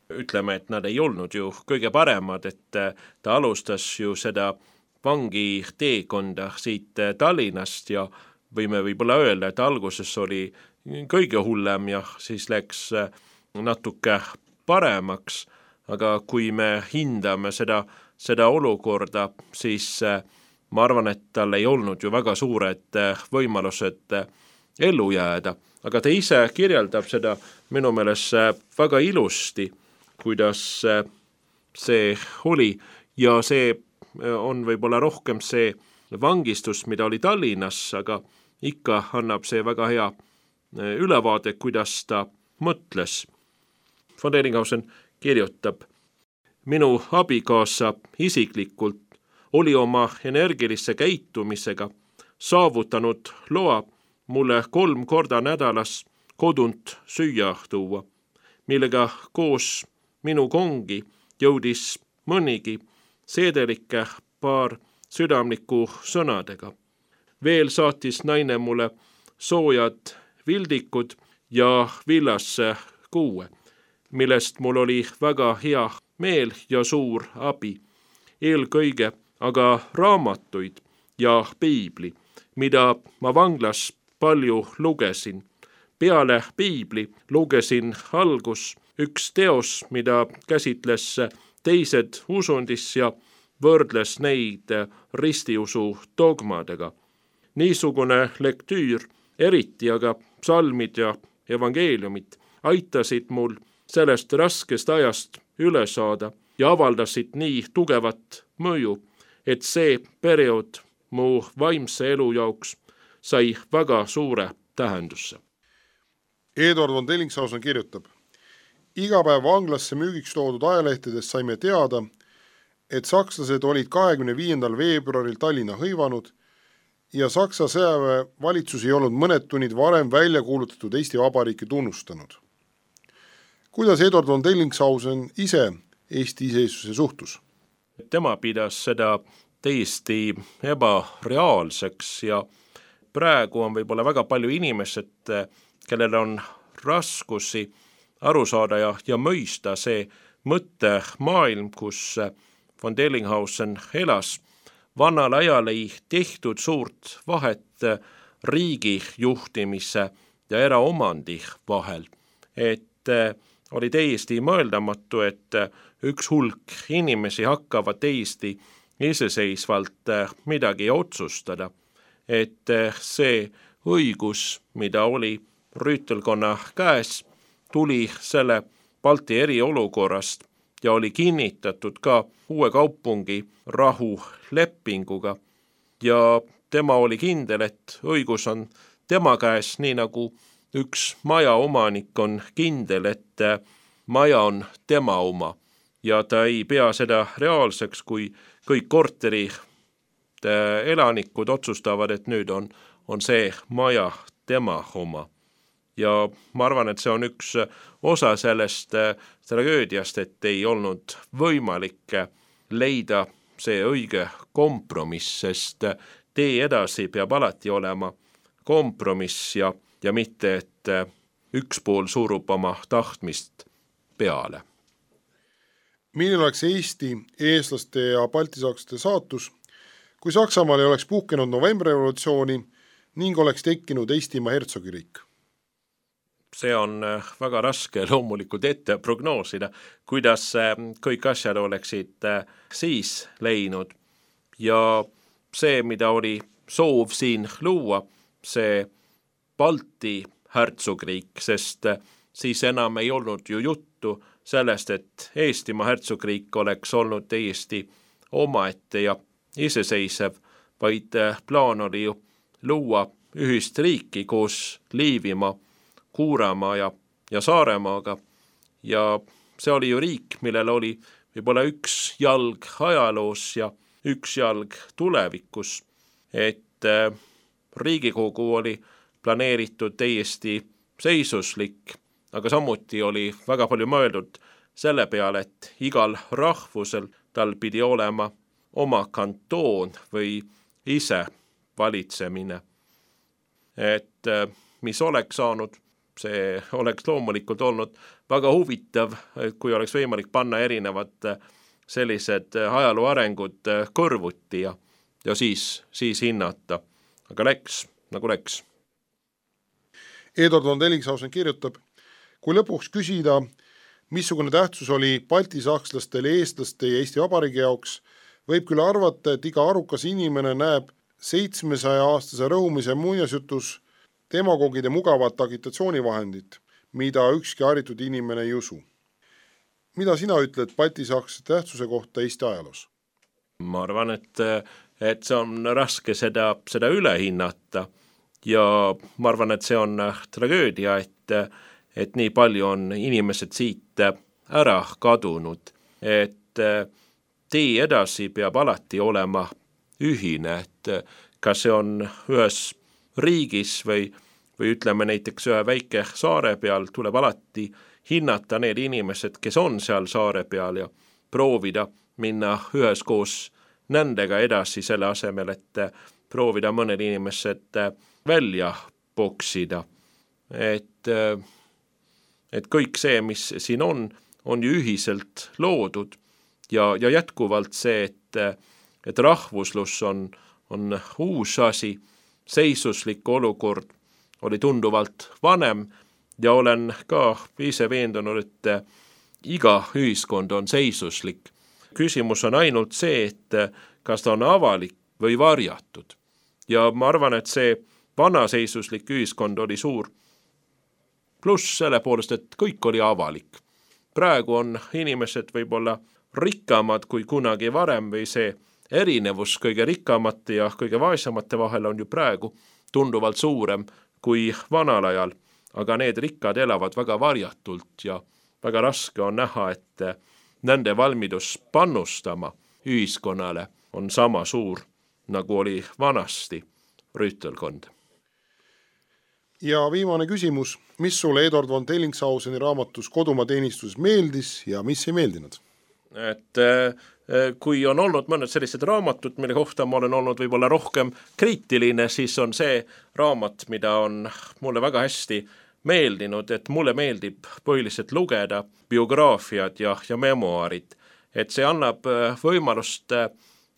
Speaker 11: Ütleme, et nad ei olnud ju kõige paremad, et ta alustas ju seda vangi teekonda siit Tallinnast ja võime võib-olla öelda, et alguses oli kõige hullem ja siis läks natuke paremaks, aga kui me hindame seda, seda olukorda, siis ma arvan, et tal ei olnud ju väga suured võimalused ellu jääda, aga ta ise kirjeldab seda minu meelest väga ilusti, kuidas see oli ja see on võib-olla rohkem see vangistus, mida oli Tallinnas, aga ikka annab see väga hea ülevaade, kuidas ta mõtles. Von Dellinghausen kirjutab, minu abikaasa isiklikult oli oma energilisse käitumisega saavutanud loa mulle kolm korda nädalas kodunt süüa tuua, millega koos minu kongi jõudis mõnigi seedelike paar südamliku sõnadega. Veel saatis naine mulle soojad vildikud ja villasse kuue, millest mul oli väga hea meel ja suur abi. Eelkõige aga raamatuid ja piibli, mida ma vanglas palju lugesin. Peale piibli lugesin algus üks teos, mida käsitles teised usundis ja võrdles neid ristiusu dogmadega. Niisugune lektüür, eriti aga psalmid ja evangeeliumid, aitasid mul sellest raskest ajast üle saada ja avaldasid nii tugevat mõju, et see periood mu vaimse elu jaoks sai väga suure tähendusse.
Speaker 3: Eduard von Dellingshausen kirjutab, iga päev vanglasse müügiks toodud ajalehtedes saime teada, et sakslased olid kahekümne viiendal veebruaril Tallinna hõivanud ja Saksa sõjaväe valitsus ei olnud mõned tunnid varem välja kuulutatud Eesti Vabariiki tunnustanud. Kuidas Eduard von Dellingshausen ise Eesti iseseisvuse suhtus?
Speaker 11: Tema pidas seda täiesti ebareaalseks ja praegu on võib-olla väga palju inimesed, kellel on raskusi aru saada ja, ja mõista see mõttemaailm, kus von Dellinghausen elas. Vannal ajal ei tehtud suurt vahet riigi juhtimise ja eraomandi vahel, et oli täiesti mõeldamatu, et üks hulk inimesi hakkavad täiesti iseseisvalt midagi otsustada, et see õigus, mida oli rüütelkonna käes, tuli selle Balti eriolukorrast ja oli kinnitatud ka uue kaupungi rahulepinguga ja tema oli kindel, et õigus on tema käes, nii nagu üks maja omanik on kindel, et maja on tema oma ja ta ei pea seda reaalseks, kui kõik korteri elanikud otsustavad, et nüüd on, on see maja tema oma. Ja ma arvan, et see on üks osa sellest tragöödiast, et ei olnud võimalik leida see õige kompromiss, sest tee edasi peab alati olema kompromiss ja, ja mitte, et üks pool surub oma tahtmist peale.
Speaker 3: Milline oleks Eesti, eestlaste ja baltisakslaste saatus, kui Saksamaal ei oleks puhkenud novembrirevolutsiooni ning oleks tekkinud Eestimaa hertsogiriik?
Speaker 11: see on väga raske loomulikult ette prognoosida, kuidas kõik asjad oleksid siis läinud. Ja see, mida oli soov siin luua, see Balti hertsogriik, sest siis enam ei olnud ju juttu sellest, et Eestimaa hertsogriik oleks olnud täiesti omaette ja iseseisev, vaid plaan oli ju luua ühist riiki koos Liivimaa, Kuuramaa ja, ja Saaremaaga. Ja see oli ju riik, millel oli võib-olla üks jalg ajaloos ja üks jalg tulevikus, et äh, Riigikogu oli planeeritud täiesti seisuslik, aga samuti oli väga palju mõeldud selle peale, et igal rahvusel tal pidi olema oma kantoon või ise valitsemine. Et äh, mis oleks saanud, see oleks loomulikult olnud väga huvitav, kui oleks võimalik panna erinevad sellised ajaloo arengud kõrvuti ja, ja siis, siis hinnata. Aga läks, nagu läks.
Speaker 3: Eduard von Dellingshausen kirjutab, kui lõpuks küsida, missugune tähtsus oli baltisakslastele, eestlaste ja Eesti Vabariigi jaoks, võib küll arvata, et iga arukas inimene näeb seitsmesaja aastase rõhumise muinasjutus demagogide mugavat agitatsioonivahendit, mida ükski haritud inimene ei usu. Mida sina ütled baltisakslaste tähtsuse kohta Eesti ajaloos?
Speaker 11: Ma arvan, et, et see on raske seda, seda üle hinnata ja ma arvan, et see on tragöödia, et, et nii palju on inimesed siit ära kadunud, et tee edasi peab alati olema ühine, et kas see on ühes riigis või, või ütleme näiteks ühe väike saare peal, tuleb alati hinnata need inimesed, kes on seal saare peal ja proovida minna üheskoos nendega edasi selle asemel, et proovida mõned inimesed välja poksida. Et, et kõik see, mis siin on, on ju ühiselt loodud ja, ja jätkuvalt see, et, et rahvuslus on, on uus asi, seisuslik olukord oli tunduvalt vanem ja olen ka ise veendunud, et iga ühiskond on seisuslik. Küsimus on ainult see, et kas ta on avalik või varjatud. Ja ma arvan, et see vanaseisuslik ühiskond oli suur pluss selle poolest, et kõik oli avalik. Praegu on inimesed võib-olla rikkamad kui kunagi varem või see erinevus kõige rikkamate ja kõige vaesamate vahel on ju praegu tunduvalt suurem kui vanal ajal, aga need rikkad elavad väga varjatult ja väga raske on näha, et nende valmidus pannustama ühiskonnale on sama suur, nagu oli vanasti rüütelkond.
Speaker 3: Ja viimane küsimus, mis sulle Eduard von Dellingshauseni raamatus Kodumaa teenistuses meeldis ja mis ei meeldinud?
Speaker 11: Et kui on olnud mõned sellised raamatud, mille kohta ma olen olnud võib-olla rohkem kriitiline, siis on see raamat, mida on mulle väga hästi meeldinud, et mulle meeldib põhiliselt lugeda biograafiad ja, ja memoaarid, et see annab võimalust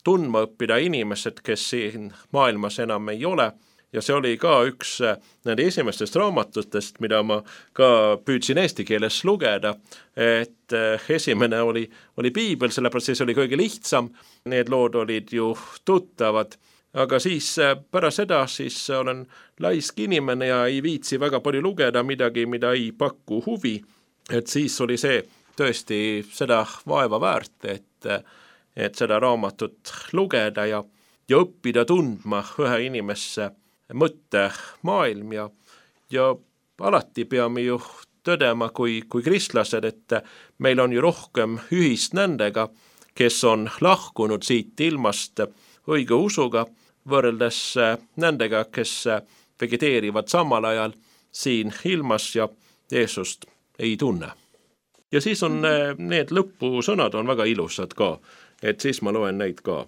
Speaker 11: tundma õppida inimesed, kes siin maailmas enam ei ole. Ja see oli ka üks nende esimestest raamatutest, mida ma ka püüdsin eesti keeles lugeda, et esimene oli, oli piibel, sellepärast see oli kõige lihtsam, need lood olid ju tuttavad, aga siis pärast seda siis olen laisk inimene ja ei viitsi väga palju lugeda midagi, mida ei paku huvi, et siis oli see tõesti seda vaeva väärt, et, et seda raamatut lugeda ja, ja õppida tundma ühe inimesse mõtte maailm ja, ja alati peame ju tõdema kui, kui kristlased, et meil on ju rohkem ühist nendega, kes on lahkunud siit ilmast õige usuga, võrreldes nendega, kes vegeteerivad samal ajal siin ilmas ja Jeesust ei tunne. Ja siis on need lõpusõnad on väga ilusad ka, et siis ma loen neid ka.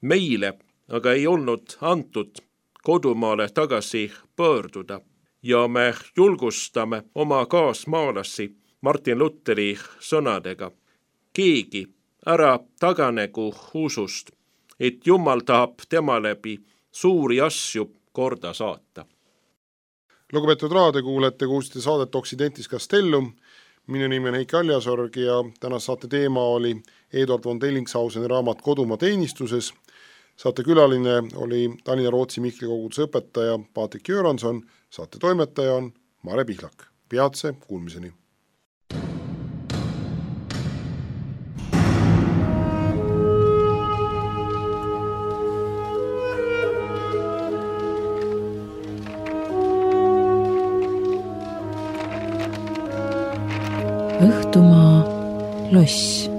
Speaker 11: Meile aga ei olnud antud kodumaale tagasi pöörduda ja me julgustame oma kaasmaalasi Martin Lutheri sõnadega. Keegi ära taganegu usust, et Jumal tahab tema läbi suuri asju korda saata.
Speaker 3: lugupeetud raadiokuulajate, kuulsite saadet Occidentis Castellum. Minu nimi on Heiki Aljasorg ja tänase saate teema oli Eduard von Delingshauseni raamat Kodumaa teenistuses. Saate külaline oli Tallinna-Rootsi Mihkli koguduse õpetaja Patrik Göranson, saate toimetaja on Mare Pihlak. Peatse kuulmiseni!
Speaker 2: Õhtumaa loss.